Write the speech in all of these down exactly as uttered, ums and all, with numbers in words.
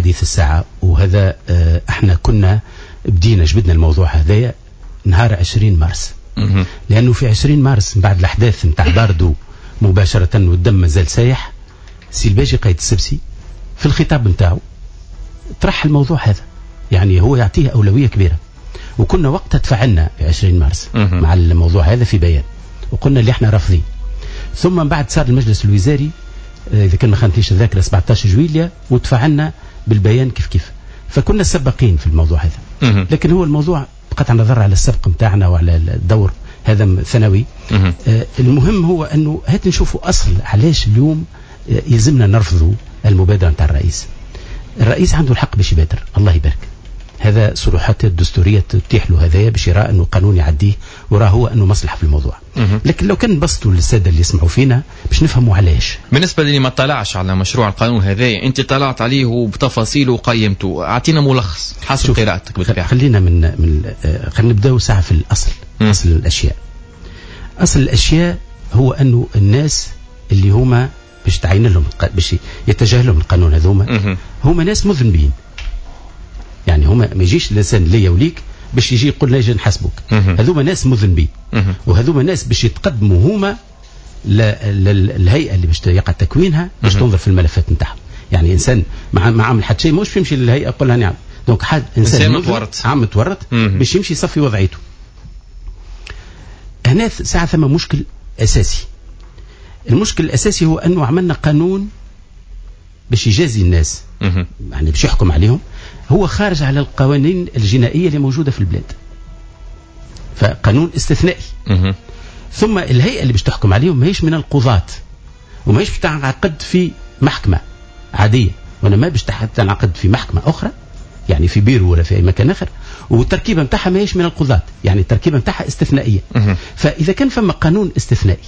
حديث الساعة، وهذا احنا كنا بدينا جبدنا الموضوع هذايا نهار عشرين مارس، لأنه في عشرين مارس من بعد الأحداث نتاع باردو مباشرة والدم مازال سايح، سي الباجي قايد السبسي في الخطاب نتاعو طرح الموضوع هذا، يعني هو يعطيه أولوية كبيرة. وكنا وقتها تفاعلنا في عشرين مارس مع الموضوع هذا في بيان، وقلنا اللي احنا رافضين. ثم من بعد صار المجلس الوزاري إذا كان ما خانتنيش الذاكرة سبعة عشر جويلية، وتفاعلنا بالبيان كيف كيف، فكنا سباقين في الموضوع هذا. لكن هو الموضوع بقطع النظر على السبق نتاعنا وعلى الدور هذا ثانوي. آه المهم هو أنه هات نشوفوا أصل علاش اليوم يلزمنا نرفضوا المبادرة نتاع الرئيس. الرئيس عنده الحق باش يبادر، الله يبارك، هذا صلاحيات الدستورية تتيح له هذايا باش يرى أنه قانون يعديه وراه هو أنه مصلحة في الموضوع. لكن لو كان نبسطوا للسادة اللي يسمعوا فينا باش نفهموا علاش. بالنسبة للي ما طلعش على مشروع القانون هذا، أنت طلعت عليه وبتفاصيله وقيمته، أعطينا ملخص حسب قراءتك بالطبيعة. خلينا من من خلينا نبداو ساعة في الأصل. مم. أصل الأشياء. أصل الأشياء هو أنه الناس اللي هما باش تعين لهم باش يتجه لهم القانون هذوما هما ناس مذنبين. يعني هما ما يجيش الانسان ليا وليك باش يجي يقول لي اجي نحاسبك، هذوما ناس مذنبين، وهذوما ناس باش يتقدموا هما للهيئة اللي باش يقع تكوينها باش تنظر في الملفات نتاعهم. يعني انسان ما عامل حتى شيء ماهوش يمشي للهيئة يقول لها نعم. donc حد انسان متورط عام متورط باش يمشي يصفي وضعيته. هنا ساعة ثم مشكل اساسي. المشكل الاساسي هو انه عملنا قانون باش يجازي الناس، يعني باش يحكم عليهم، هو خارج على القوانين الجنائية اللي موجودة في البلاد، فقانون استثنائي. ثم الهيئة اللي باش تحكم عليهم ماهيش من القضاة، وماهيش باش تنعقد في محكمة عادية، وأنا ما باش تنعقد في محكمة أخرى، يعني في بيرو ولا في أي مكان آخر، والتركيبة نتاعها ماهيش من القضاة، يعني التركيبة نتاعها استثنائية. فإذا كان فما قانون استثنائي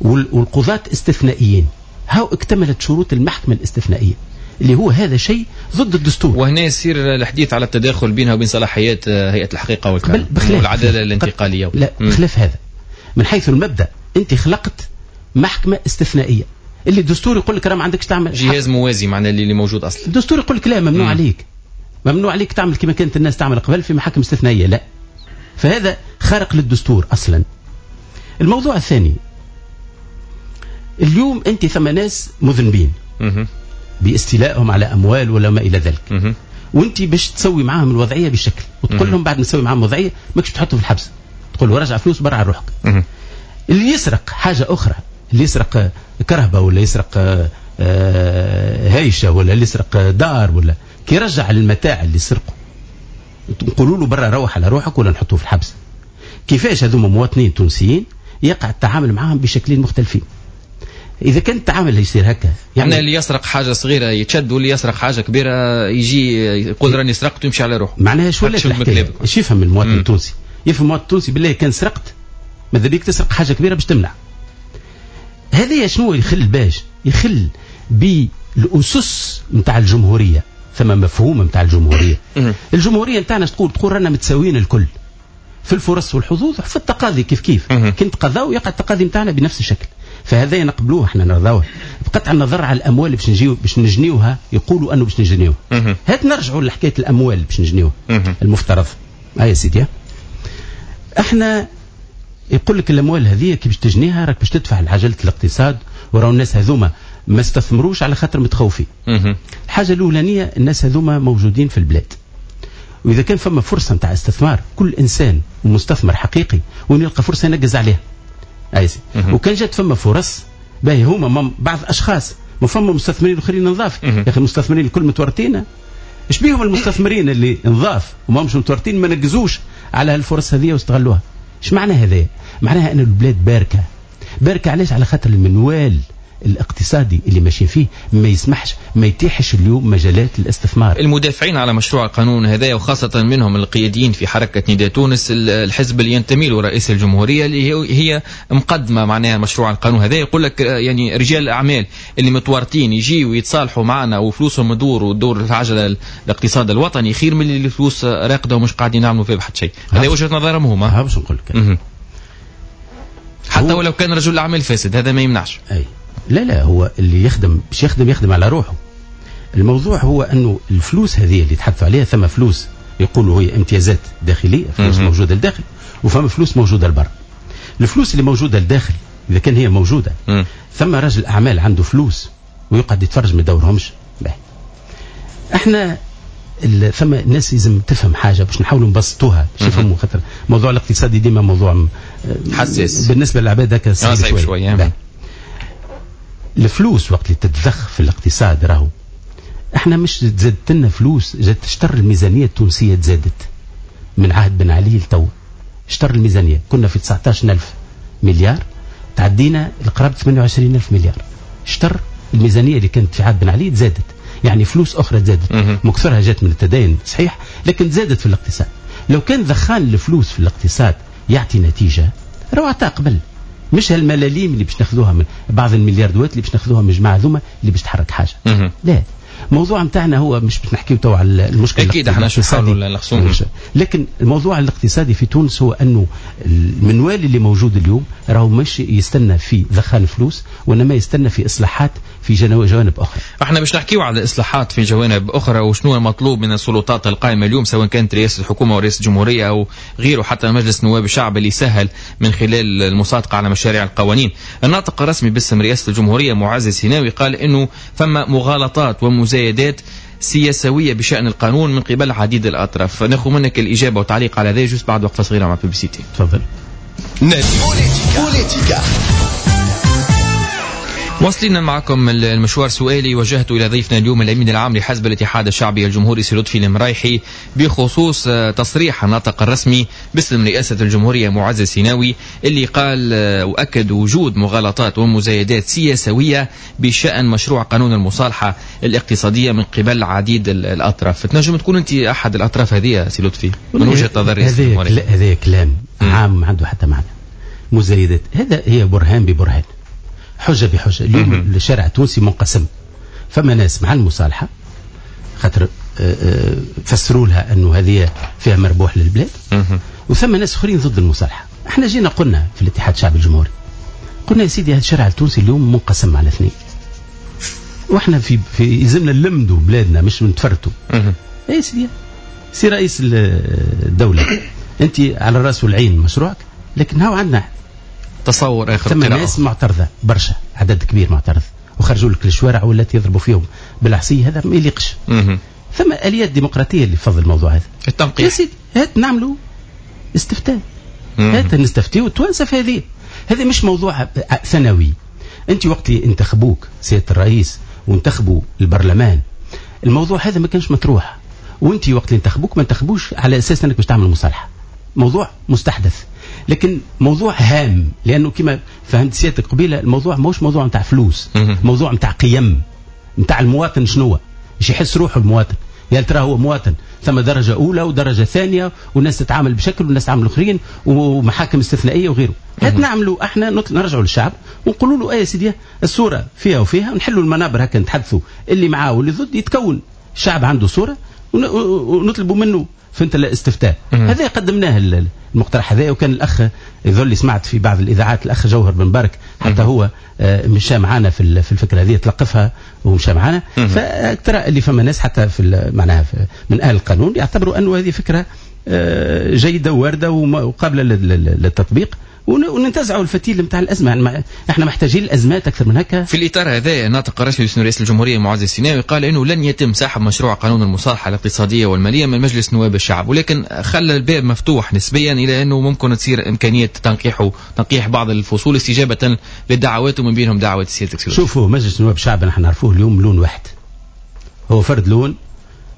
والقضاة استثنائيين، هاو اكتملت شروط المحكمة الاستثنائية اللي هو هذا شيء ضد الدستور. وهنا يصير الحديث على التداخل بينها وبين صلاحيات هيئة الحقيقة والعدالة الانتقالية. لا، بخلاف هذا من حيث المبدأ أنت خلقت محكمة استثنائية اللي الدستور يقول لك راه ما عندكش تعمل جهاز موازي معناه اللي موجود أصلا. الدستور يقول لك لا، ممنوع مم. عليك، ممنوع عليك تعمل كما كانت الناس تعمل قبل في محاكم استثنائية، لا، فهذا خارق للدستور أصلا. الموضوع الثاني، اليوم أنت ثم ناس مذنبين باستيلائهم على أموال ولا ما إلى ذلك، وأنت باش تسوي معاهم الوضعية بشكل وتقول لهم بعد ما تسوي معاهم الوضعية ماكش تحطهم في الحبس، تقول له رجع فلوس برا على روحك. اللي يسرق حاجة أخرى، اللي يسرق كرهبة ولا يسرق هايشة ولا اللي يسرق دار ولا كي يرجع المتاع اللي سرقه نقولوا له برا روح على روحك ولا نحطوه في الحبس. كيفاش هذوما مواطنين تونسيين يقع التعامل معاهم بشكلين مختلفين؟ إذا كان التعامل يصير هكا، يعني اللي يسرق حاجة صغيرة يتشد واللي يسرق حاجة كبيرة يجي يقول راني سرقت ويمشي على روحه. معناها شو ولا الحكاية؟ ايش يفهم المواطن التونسي؟ يفهم المواطن التونسي بالله كان سرقت ماذا بيك تسرق حاجة كبيرة باش تمنع. هذا شنو يخل باش؟ يخل بالأسس نتاع الجمهورية، ثم مفهوم نتاع الجمهورية. الجمهورية نتاعنا تقول تقول رانا متساويين الكل في الفرص والحظوظ في التقاضي كيف كيف، كنت قضاء ويقع التقاضي نتاعنا بنفس الشكل، فهذا نقبلوه احنا نرضاوه بقطع النظر على الاموال باش نجيو باش نجنيوها، يقولوا انه باش نجنيوها. هات نرجعوا لحكاية الاموال باش نجنيوها المفترض. هيا يا سيدي، احنا يقول لك الاموال هذه كي باش تجنيها راك باش تدفع لعجله الاقتصاد، وراو الناس هذوما ما استثمروش على خاطر متخوفين. الحاجة الاولانية الناس هذوما موجودين في البلاد، واذا كان فما فرصة نتاع استثمار كل انسان ومستثمر حقيقي وين يلقى فرصة ينقز عليها. أيسي. وكان جات فما فرص باهي هما بعض اشخاص ما فما مستثمرين اخرين نظاف. يا اخي المستثمرين الكل متورطين، ايش بيهم المستثمرين اللي نظاف وما همش متورطين ما نقزوش على هالفرص هذه واستغلوها؟ ايش معنى هذا؟ معناها ان البلاد باركه. باركه علاش؟ على خاطر المنوال الاقتصادي اللي ماشيين فيه ما يسمحش، ما يتيحش اليوم مجالات الاستثمار. المدافعين على مشروع القانون هذا وخاصة منهم القياديين في حركة نداء تونس، الحزب اللي ينتمي له رئيس الجمهورية اللي هي مقدمة معناها مشروع القانون هذا، يقول لك يعني رجال الأعمال اللي متورطين يجيوا ويتصالحوا معنا وفلوسهم تدور وتدور العجلة الاقتصاد الوطني خير من اللي الفلوس راقدة ومش قاعدين يعملوا فيها بحد شيء. هذا وجهة نظرهم هما. باش نقول لك حتى ولو كان رجل أعمال فاسد هذا ما يمنعش. أي لا لا، هو اللي يخدم باش يخدم يخدم على روحه. الموضوع هو انه الفلوس هذه اللي تحدثوا عليها، ثم فلوس يقولوا هي امتيازات داخلية، فلوس موجودة لداخل، وفما فلوس موجودة لبرا. الفلوس اللي موجودة لداخل اذا كان هي موجودة، م. ثم رجل اعمال عنده فلوس ويقعد يتفرج ما يدورهمش. احنا ثم ناس لازم تفهم حاجة باش نحاولوا نبسطوها باش يفهموا، خاطر الموضوع الاقتصادي ديما موضوع حساس بالنسبة للعباد، هكا صعيب شوية, شوية. الفلوس وقت اللي تتضخ في الاقتصاد، راهو احنا مش تزادت لنا فلوس، جات تشتر الميزانية التونسية تزادت من عهد بن علي لتو، اشتر الميزانية كنا في تسعة عشر ألف مليار، تعدينا لقرابة ثمانية وعشرين ألف مليار. اشتر الميزانية اللي كانت في عهد بن علي تزادت، يعني فلوس اخرى تزادت، مكثرها جات من التدين صحيح، لكن تزادت في الاقتصاد. لو كان ضخان الفلوس في الاقتصاد يعطي نتيجة راهو عطاه قبل، مش هالملاليم اللي باش ناخذوها من بعض الملياردات اللي باش ناخذوها من الجماعة هذوما اللي باش تحرك حاجة. لا، الموضوع نتاعنا هو مش باش نحكيو تو على المشكلة اكيد احنا شو نلخصوه، لكن الموضوع الاقتصادي في تونس هو انه المنوال اللي موجود اليوم راهو مش يستنى في ضخان فلوس، وانما يستنى في اصلاحات في جوانب اخرى. احنا باش نحكيو على الاصلاحات في جوانب اخرى وشنو المطلوب من السلطات القائمة اليوم، سواء كانت رئاسة الحكومة او رئاسة الجمهورية او غيره، حتى مجلس نواب الشعب اللي سهل من خلال المصادقة على مشاريع القوانين. الناطق الرسمي باسم رئاسة الجمهورية معز السيناوي قال انه فما مغالطات ومزايدات سياسوية بشأن القانون من قبل عديد الأطراف. ناخذ منك الإجابة وتعليق على ذلك juste بعد وقفة صغيرة مع publicité. تفضل. بوليتيكا. واصلين معكم المشوار. سؤالي وجهته إلى ضيفنا اليوم الأمين العام لحزب الاتحاد الشعبي الجمهوري سي لطفي المرايحي بخصوص تصريح الناطق الرسمي باسم رئاسة الجمهورية معز السيناوي اللي قال وأكد وجود مغالطات ومزايدات سياسوية بشأن مشروع قانون المصالحة الاقتصادية من قبل عديد الأطراف. تنجم تكون أنت أحد الأطراف هذه سي لطفي من وجهة نظر رئاسة الجمهورية؟ هذا كلام عام ما عنده حتى معنى. مزايدات هذا هي برهان ببرهان، حجة بحجة. اليوم الشارع التونسي منقسم، فما ناس مع المصالحة خاطر فسروا لها أنه هذه فيها مربوح للبلاد، وثم ناس آخرين ضد المصالحة. احنا جينا قلنا في الاتحاد الشعبي الجمهوري، قلنا يا سيدي هذا الشارع التونسي اليوم منقسم على اثنين، واحنا في في يلزمنا نلمدوا بلادنا مش نتفرتوا. يا سيدي سي رئيس الدولة أنت على الراس والعين مشروعك، لكن هاو عندنا تصور اخر. ثم ناس معترضة برشا، عدد كبير معترض، وخرجوا لك للشوارع ولا يضربوا فيهم بالعصي، هذا ما يليقش. ثم اليات ديمقراطية اللي تفضل الموضوع هذا التنقيح. يا سيدي هات نعملوا استفتاء، هات نستفتيو التوانسة في هذه. هذا مش موضوع ثانوي. انت وقت اللي انتخبوك سيادة الرئيس وانتخبوا البرلمان، الموضوع هذا ما كانش مطروح، وانت وقت اللي انتخبوك ما انتخبوش على اساس انك باش تعمل مصالحه. موضوع مستحدث لكن موضوع هام، لانه كما فهمت سيادتك قبيلة الموضوع ماهوش موضوع نتاع فلوس، موضوع نتاع قيم نتاع المواطن. شنو باش يحس روحه المواطن؟ يا ترى هو مواطن ثم درجه اولى ودرجة ثانية، والناس تتعامل بشكل والناس تعامل اخرين، ومحاكم استثنائية وغيره. هات نعملوا احنا نرجعوا للشعب ونقولوا له ايه يا سيدي الصورة فيها وفيها، ونحلوا المنابر هكا نتحدثوا اللي معاه واللي ضد، يتكون الشعب عنده صوره ونطلبوا منه فهمت الاستفتاء. هذا قدمناه المقترح هذا، وكان الاخ يظل سمعت في بعض الاذاعات الاخ جوهر بن بارك حتى هو مشى معنا في في الفكرة هذه، تلقفها ومشى معنا. فترى اللي فما ناس حتى في معناها من اهل القانون يعتبروا انه هذه فكرة جيدة وارده وقابله للتطبيق، وننتزعوا الفتيل نتاع الازمة. يعني احنا محتاجين الازمات اكثر من هكا. في الاطار هذا الناطق الرسمي باسم رئيس الجمهورية معز السيناوي قال انه لن يتم سحب مشروع قانون المصالحة الاقتصادية والمالية من مجلس نواب الشعب، ولكن خلى الباب مفتوح نسبيا الى انه ممكن تصير امكانية تنقيحه تنقيح بعض الفصول استجابة للدعوات ومن بينهم دعوه سيادتك. شوفوا مجلس نواب الشعب نحن نعرفوه اليوم لون واحد، هو فرد لون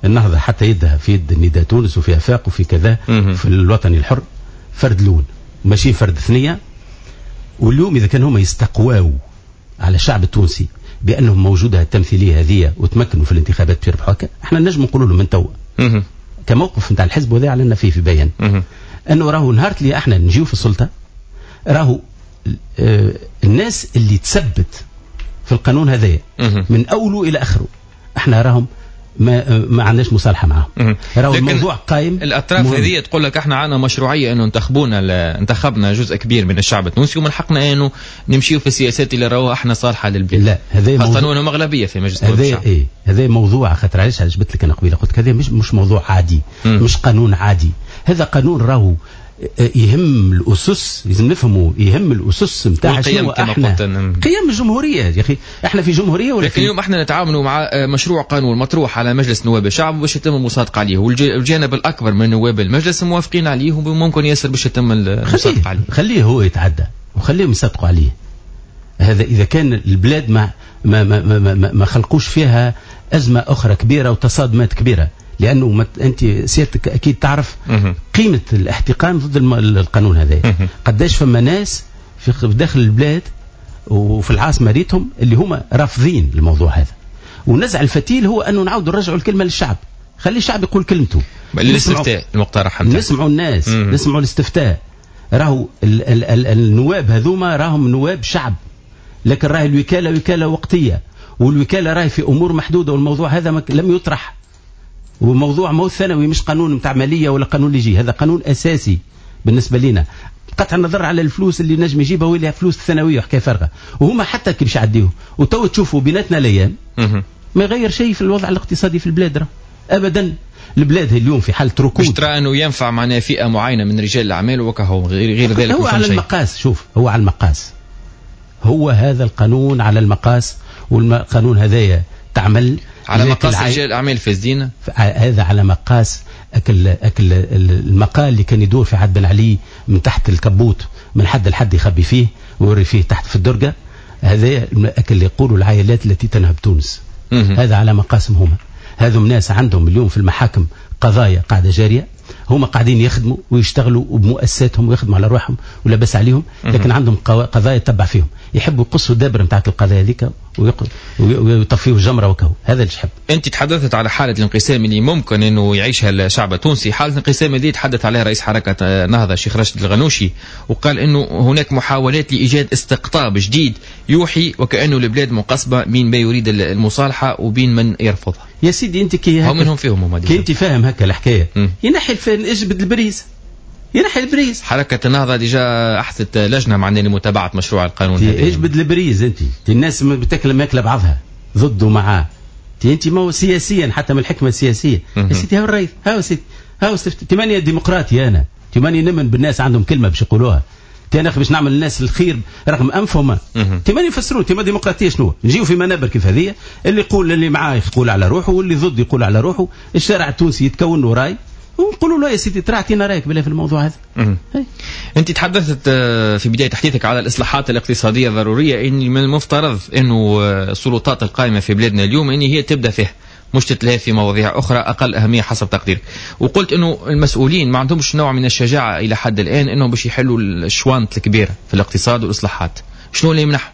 النهضة حتى يدها في يد نداء تونس وفي افاق وفي كذا في الوطني الحر، فرد لون ماشي فرد ثنية. واليوم إذا كان هما يستقواوا على الشعب التونسي بأنهم موجودة التمثيلية هذه وتمكنوا في الانتخابات باش يربحوا هكا، احنا نجم نقولوا لهم من توا كموقف نتاع الحزب وهذا اعلنا فيه في بيان أنه راهو نهار اللي احنا نجيو في السلطة راهو آه الناس اللي تثبت في القانون هذايا من أوله إلى آخره احنا راهم ما ما عندناش مصالحه معاهم. راهو الموضوع قايم. الاطراف هذه تقول لك احنا عندنا مشروعية انه انتخبونا انتخبنا جزء كبير من الشعب التونسي ومن حقنا انه نمشيو في السياسات اللي راوها احنا صالحه للبلاد. لا هذا خاصة انه اغلبية في مجلس هذا ايه هذا موضوع خاطر علاش جبت لك انا قبيلة قلت لك هذا مش مش موضوع عادي. مم. مش قانون عادي، هذا قانون راهو يهم الاسس، لازم نفهموا يهم الاسس نتاع شنو احنا قيم الجمهورية يا اخي. احنا في جمهورية ولا لكن اليوم احنا نتعاملوا مع مشروع قانون مطروح على مجلس نواب الشعب باش يتم المصادقة عليه، والجانب الاكبر من نواب المجلس موافقين عليه وممكن ياسر باش يتم المصادقة عليه. خليه هو يتعدى وخليهم يصدقوا عليه. هذا اذا كان البلاد ما ما ما ما, ما, ما خلقوش فيها ازمة اخرى كبيرة وتصادمات كبيرة، لانه انت سيادتك اكيد تعرف قيمة الاحتقان ضد القانون هذا. قداش فما ناس في داخل البلاد وفي العاصمة ريتهم اللي هما رافضين الموضوع هذا. ونزع الفتيل هو انه نعاودوا نرجعوا الكلمة للشعب، خلي الشعب يقول كلمته. الاستفتاء المقترح نسمعوا الناس، نسمعوا الاستفتاء. راهو ال ال ال النواب هذوما راهم نواب شعب، لكن راهي الوكالة وكالة وقتية، والوكالة راهي في امور محدودة، والموضوع هذا لم يطرح. وموضوع مو ثانوي، مش قانون نتاع ماليه ولا قانون اللي يجي، هذا قانون اساسي بالنسبة لنا. قطع النظر على الفلوس اللي نجم يجيبها واللي فلوس ثانوية وحكاية فارغة، وهما حتى كي باش يعديوه وتو تشوفوا بيناتنا الايام ما يغير شيء في الوضع الاقتصادي في البلاد راه ابدا. البلاد اليوم في حاله ركود. مش ترى انه ينفع معناها فئة معينة من رجال الاعمال وكهو غير غير ذلك؟ هو على المقاس. شوف هو على المقاس، هو هذا القانون على المقاس، والقانون هذايا تعمل على مقاس رجال الاعمال فاسدين. هذا على مقاس اكل اكل المقال اللي كان يدور في عهد بن علي من تحت الكبوت، من حد لحد يخبي فيه ويوري فيه تحت في الدرجة. هذا اكل اللي يقولوا العائلات التي تنهب تونس. هذا على مقاسم هما. هذم ناس عندهم اليوم في المحاكم قضايا قاعدة جارية، هما قاعدين يخدموا ويشتغلوا وبمؤسساتهم ويخدموا على روحهم ولا بس عليهم، لكن عندهم قضايا تبع فيهم، يحبوا يقصوا الدابر نتاعت القضايا هذيك ويطفيوا الجمرة وكهو. هذا اللي يحب. انت تحدثت على حاله الانقسام اللي ممكن انه يعيشها الشعب التونسي، حاله الانقسام اللي تحدث عليها رئيس حركة نهضة الشيخ راشد الغنوشي، وقال انه هناك محاولات لايجاد استقطاب جديد يوحي وكانه البلاد منقسمة بين ما يريد المصالحة وبين من يرفضها. يا سيدي انت كي هم منهم فيهم كي انت فاهم هكا الحكاية، ينحي الفن، اجبد ال prise، ينحي ال prise. حركة النهضة déjà احدثت لجنة معنا لمتابعة مشروع القانون هذا. اجبد ال prise انت، الناس بتاكل ماكله بعضها ضده ومعاه. انت ما هو سياسيا حتى من الحكمة السياسية يا سيدي، هاو الرئيس، هاو سيدي، هاو ثمانية ديمقراطي، انا ثمانية نمن بالناس عندهم كلمة باش يقولوها. انا باش نعمل الناس الخير رغم انفهم. ثمانية يفسروا ثمانية ديمقراطية شنو؟ نجيو في منابر كيف هذه، اللي يقول اللي معاه يقول على روحه واللي ضد يقول على روحه، الشارع التونسي يتكون له راي ونقولوا له يا سيدي ترى اعطينا رايك بالله في الموضوع هذا. انت تحدثت في بداية حديثك على الاصلاحات الاقتصادية الضرورية، ان من المفترض انه السلطات القائمة في بلادنا اليوم ان هي تبدا فيها، مش تتلهي في مواضيع أخرى أقل أهمية حسب تقديرك. وقلت أنه المسؤولين ما عندهمش نوع من الشجاعة إلى حد الآن أنهم باش يحلوا الشوانط الكبيرة في الاقتصاد والإصلاحات. شنو اللي يمنحهم؟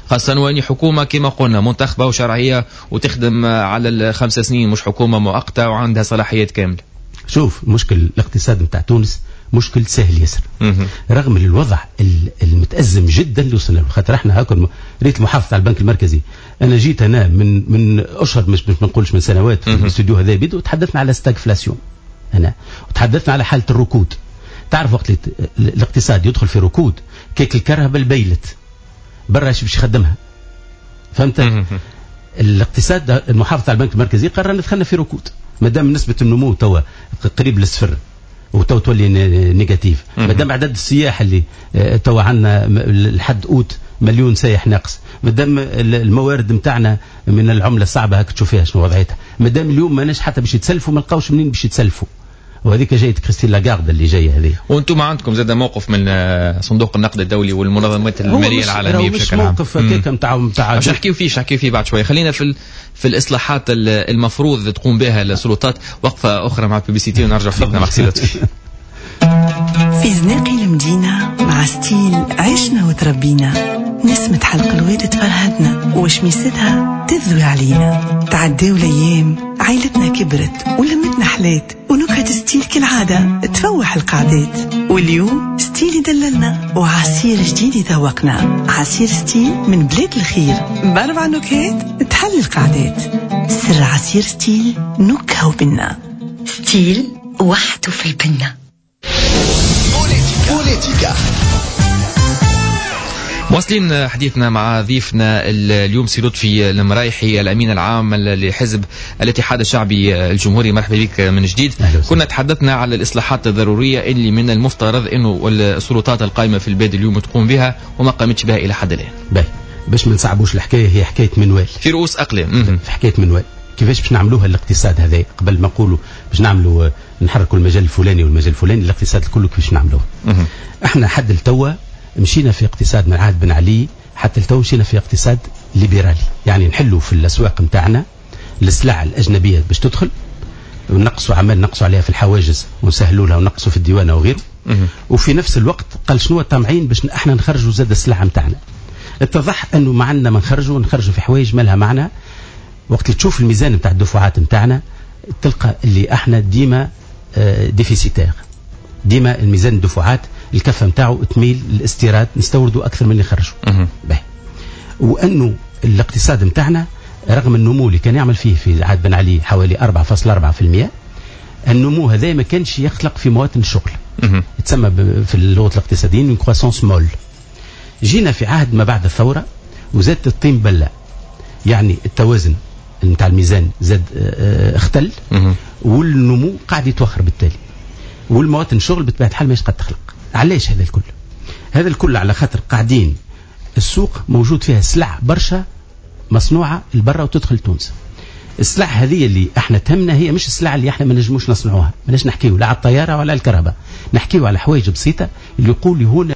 خاصة وأن حكومة كما قلنا منتخبة وشرعية وتخدم على الخمس سنين، مش حكومة مؤقتة وعندها صلاحيات كاملة. شوف مشكل الاقتصاد نتاع تونس مشكل سهل ياسر، رغم الوضع المتأزم جدا اللي وصلنا له. خاطر احنا هاكا ريت المحافظة على البنك المركزي، انا جيت انا من من اشهر، مش مش ما نقولش من سنوات، في الاستوديو هذا بيدو تحدثنا على stagflation هنا، وتحدثنا على حاله الركود. تعرف وقت الاقتصاد يدخل في ركود كيك الكرهبه البيلت برا باش يخدمها، فهمت؟ الاقتصاد المحافظة على البنك المركزي قرر ندخلنا في ركود ما دام نسبه النمو توا قريب للصفر وتو تولي négatif، ما دام عدد السياح اللي توا عندنا لحد اوت مليون سايح ناقص، ما دام الموارد نتاعنا من العملة الصعبة هاك تشوفيها شنو وضعيتها، ما دام اليوم ماناش حتى باش يتسلفوا، ما لقاوش منين باش يتسلفوا. وهذيك جاية كريستين لاغارد اللي جاية هذه. وانتم عندكم زاد موقف من صندوق النقد الدولي والمنظمات المالية العالمية بشكل عام. موقف هكاك نتاع نتاع باش نحكيو فيه، نحكيو فيه بعد شوية. خلينا في في الاصلاحات المفروض تقوم بها السلطات. وقفه اخرى مع publicité ونرجع فينا مع سي لطفي. في زناقي المدينة مع ستيل عشنا وتربينا، نسمة حلق الواد تفرهدنا وشميستها تذوي علينا. تعداو الايام عائلتنا كبرت ولمتنا حلات، ونكهة ستيل كالعادة تفوح القعدات. واليوم ستيل يدللنا وعصير جديد يذوقنا، عصير ستيل من بلاد الخير بأربع نكهات تحل القعدات. سر عصير ستيل نكهة وبنة. ستيل وحده في البنة. بوليتيكا. واصلين حديثنا مع ضيفنا اليوم سي لطفي المرايحي، الامين العام لحزب الاتحاد الشعبي الجمهوري. مرحبا بك من جديد. كنا تحدثنا على الاصلاحات الضرورية اللي من المفترض انه السلطات القائمة في البلاد اليوم تقوم بها وما قامتش بها الى حد الان. باهي، باش ما نصعبوش الحكاية، هي حكاية منوال في رؤوس اقلام. في حكاية منوال كيفاش باش نعملوها الاقتصاد هذا؟ قبل ما نقولوا باش نعملوا نحركوا المجال الفلاني والمجال الفلاني، الاقتصاد الكل كيفاش نعملوه؟ احنا حد التوا مشينا في اقتصاد من عهد بن علي حتى التو مشينا في اقتصاد ليبرالي، يعني نحلوا في الاسواق نتاعنا السلع الاجنبية باش تدخل، ونقصوا عمال نقصوا عليها في الحواجز ونسهلوا لها ونقصوا في الديوانه وغيره. وفي نفس الوقت قال شنو طامعين باش احنا نخرجوا زاد السلع نتاعنا. اتضح انه ما عندنا ما نخرجوا، نخرجوا في حوايج ما لها معنى. وقت اللي تشوف الميزان نتاع الدفعات نتاعنا تلقى اللي احنا ديما déficitaire، ديما الميزان الدفعات الكفة نتاعو تميل للاستيراد، نستوردوا اكثر من اللي نخرجوا. وانه الاقتصاد نتاعنا رغم النمو اللي كان يعمل فيه في عهد بن علي حوالي أربعة فاصلة أربعة بالمئة، النمو هذا ما كانش يخلق في مواطن الشغل، تسمى في اللغة الاقتصاديين croissance molle. جينا في عهد ما بعد الثورة وزادت الطين بله، يعني التوازن نتاع الميزان زاد اختل، والنمو قاعد يتوخر بالتالي، والمواطن الشغل بطبيعة الحال ماهيش قد تخلق. علاش هذا الكل؟ هذا الكل على خاطر قاعدين السوق موجود فيها سلع برشا مصنوعة البرة وتدخل تونس. السلع هذه اللي احنا تهمنا هي مش السلع اللي احنا ما نجموش نصنعوها، ماناش نحكيو لا على الطيارة ولا الكهرباء، نحكيو على حوايج بسيطة اللي يقول هنا